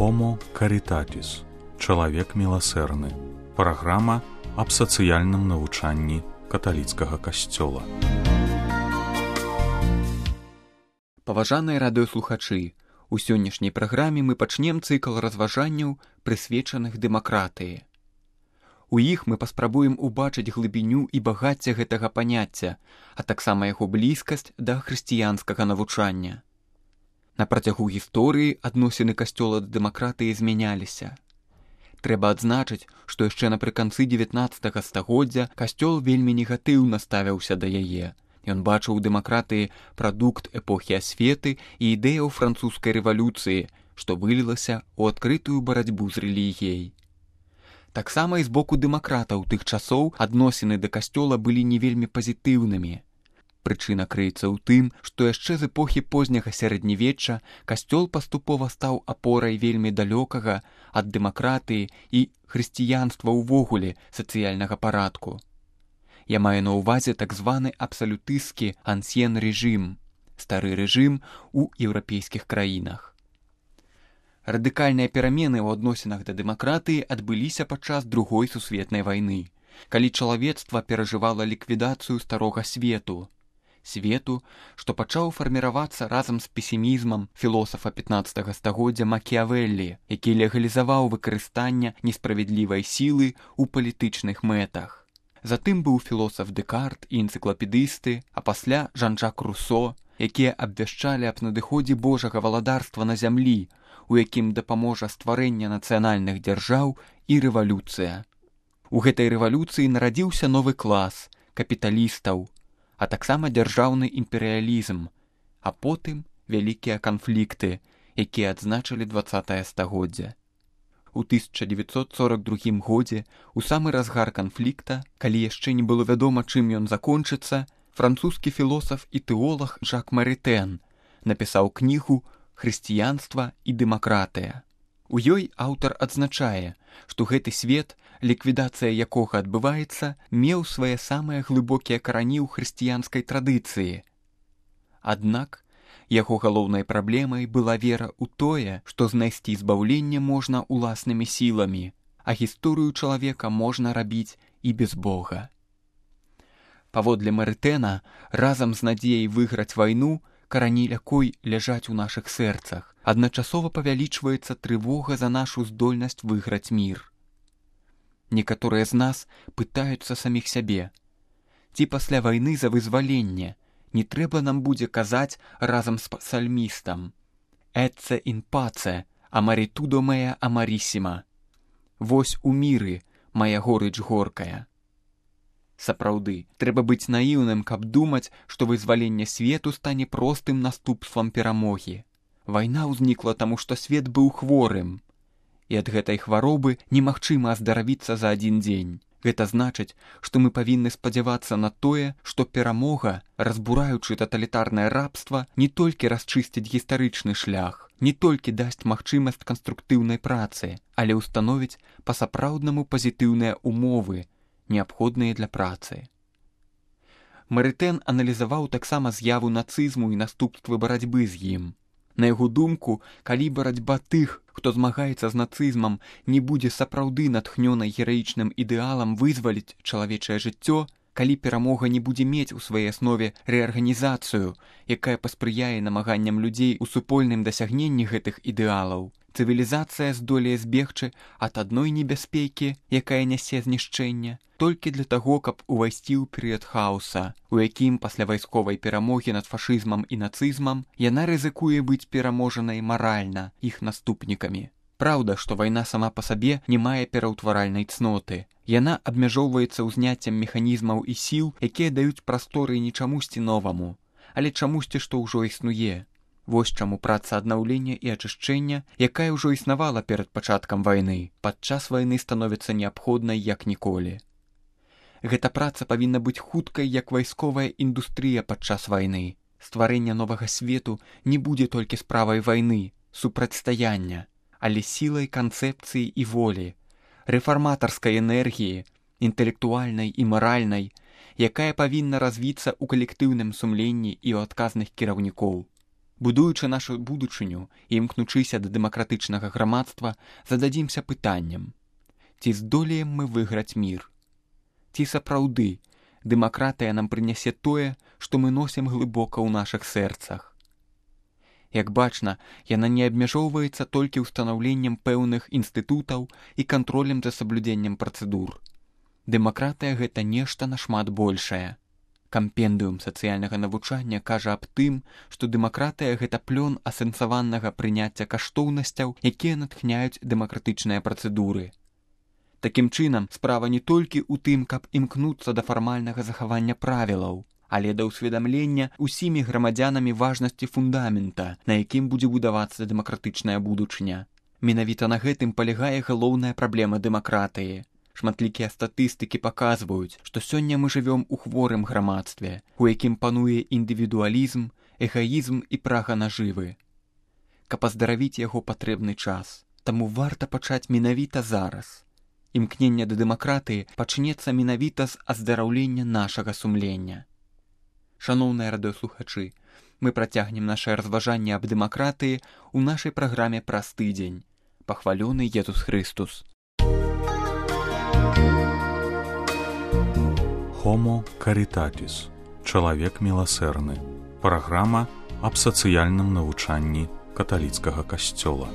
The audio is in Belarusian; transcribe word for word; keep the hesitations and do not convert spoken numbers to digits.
Homo Caritatis. Чалавек міласэрны. Праграма аб сацыяльным навучанні каталіцкага касцёла. Паважаныя радыёслухачы, у сённяшняй праграме мы пачнем цыкл разважанняў, прысвечаных дэмакратыі. У іх мы паспрабуем убачыць глыбіню і багацце гэтага паняцця, а таксама яго блізкасць да хрысціянскага навучання. На працягу гісторыі адносіны касцёла да дэмакратыі змяняліся. Трэба адзначыць, што яшчэ напрыканцы дзевятнаццатага стагоддзя касцёл вельмі негатыўна ставіўся да яе. Ён бачыў у дэмакратыі прадукт эпохі асветы і ідэяў французскай рэвалюцыі, што вылілася ў адкрытую барацьбу з рэлігіяй. Таксама і з боку дэмакратаў тых часоў адносіны да касцёла былі не вельмі пазітыўнымі. Прычына крыецца ў тым, што яшчэ з эпохі позняга сярэднявечча касцёл паступова стаў апорай вельмі далёкага ад дэмакратыі і хрысціянства ўвогуле сацыяльнага парадку. Я маю на ўвазе так званы абсалютысцкі ансьен рэжым, стары рэжым у еўрапейскіх краінах. Радыкальныя перамены ў адносінах да дэмакратыі адбыліся падчас другой сусветнай вайны, калі чалавецтва перажывала ліквідацыю старога свету, свету, што пачаў фарміравацца разам з песімізмам філосафа пятнаццатага стагоддзя Макіявеллі, які легалізаваў выкарыстанне несправядлівай сілы ў палітычных мэтах. Затым быў філосаф Дэкарт і энцыклапедысты, а пасля Жан-Жак Русо, якія абвяшчалі аб надыходзе Божага валадарства на зямлі, у якім дапаможа стварэнне нацыянальных дзяржаў і рэвалюцыя. У гэтай рэвалюцыі нарадзіўся новы клас капіталістаў, а таксама дзяржаўны імперыялізм, а потым вялікія канфлікты, якія адзначылі дваццатае стагоддзе. У тысяча дзевяцьсот сорак другім годзе, у самы разгар канфлікта, калі яшчэ не было вядома, чым ён закончыцца, французскі філосаф і тэолаг Жак Марытэн напісаў кнігу «Хрысціянства і дэмакратыя». У ёй аўтар адзначае, што гэты свет, ліквідацыя якога адбываецца, меў свае самыя глыбокія карані ў хрысціянскай традыцыі. Аднак, яго галоўнай праблемай была вера ў тое, што знайсці збаўленне можна ўласнымі сіламі, а гісторыю чалавека можна рабіць і без Бога. Паводле Марытэна, разам з надзеяй выйграць вайну, карані якой ляжаць у нашых сэрцах, адначасова павялічваецца трывога за нашу здольнасць выйграць мір. Некаторыя з нас пытаюцца саміх сябе, ці пасля вайны за вызваленне не трэба нам будзе казаць разам з псальмістам «Эцце ін паце, амарітудо меа амарісіма» «Вось у міры, мая горыч горкая». Сапраўды, трэба быць наіўным, каб думаць, што вызваленне свету стане простым наступствам перамогі. Вайна ўзнікла таму, што свет быў хворым, і ад гэтай хваробы немагчыма аздаравіцца за адзін дзень. Гэта значыць, што мы павінны спадзявацца на тое, што перамога, разбураючы таталітарнае рабства, не толькі расчысціць гістарычны шлях, не толькі дасць магчымасць канструктыўнай працы, але ўстановіць па-сапраўднаму пазітыўныя умовы, неабходныя для працы. Марытэн аналізаваў таксама з'яву нацызму і наступствы барацьбы з ім. На яго думку, калі барацьба тых, хто змагаецца з нацызмам, не будзе сапраўды натхнёнай гераічным ідэалам вызваліць чалавечае жыццё, калі перамога не будзе мець у сваёй аснове рэарганізацыю, якая паспрыяе намаганням людзей у супольным дасягненні гэтых ідэалаў, цывілізацыя здолее збегчы ад адной небяспекі, якая нясе знішчэння, толькі для таго, каб увайсці ў перыяд хаоса, у якім пасля вайсковай перамогі над фашызмам і нацызмам яна рызыкуе быць пераможанай маральна іх наступнікамі. Праўда, што вайна сама па сабе не мае пераўтваральнай цноты. Яна абмяжоўваецца ўзняццем механізмаў і сіл, якія даюць прасторы не чамусьці новаму, але чамусьці, што ўжо існуе. Вось чаму праца аднаўлення і ачышчэння, якая ўжо існавала перад пачаткам вайны, падчас вайны становіцца неабходнай як ніколі. Гэта праца павінна быць хуткай, як вайсковая індустрыя падчас вайны. Стварэнне новага свету не будзе толькі справай вайны, супрацьстаяння, але сілай канцэпцыі і волі, рэфарматарскай энергіі, інтэлектуальнай і маральнай, якая павінна развіцца ў калектыўным сумленні і ў адказных кіраўнікоў. Будуючы нашу будучыню і імкнучыся да дэмакратычнага грамадства, зададзімся пытаннем: ці здолеем мы выйграць мір? Ці сапраўды дэмакратыя нам прынясе тое, што мы носім глыбока ў нашых сэрцах? Як бачна, яна не абмяжоўваецца толькі ўстанаўленнем пэўных інстытутаў і кантролем за саблюдзеннем працэдур. Дэмакратыя — гэта нешта нашмат большае. Кампендыум сацыяльнага навучання кажа аб тым, што дэмакратыя — гэта плён асэнсаванага прыняцця каштоўнасцяў, якія натхняюць дэмакратычныя працэдуры. Такім чынам, справа не толькі ў тым, каб імкнуцца да фармальнага захавання правілаў, але да ўсведамлення ўсімі грамадзянамі важнасці фундамента, на якім будзе будавацца дэмакратычная будучыня. Менавіта на гэтым палягае галоўная праблема дэмакратыі. Шматлікія статыстыкі паказваюць, што сёння мы жывём у хворым грамадстве, у якім пануе індывідуалізм, эгаізм і прага нажывы. Каб аздаравіць яго патрэбны час, таму варта пачаць менавіта зараз. Імкненне да дэмакратыі пачнецца менавіта з аздараўлення нашага сумлення. Шаноўныя радыёслухачы, мы працягнем нашае разважанне аб дэмакратыі ў нашай праграме праз тыдзень. Пахвалёны Езус Хрыстус. Homo Caritatis. Чалавек міласэрны. Праграма аб сацыяльным навучанні каталіцкага касцёла.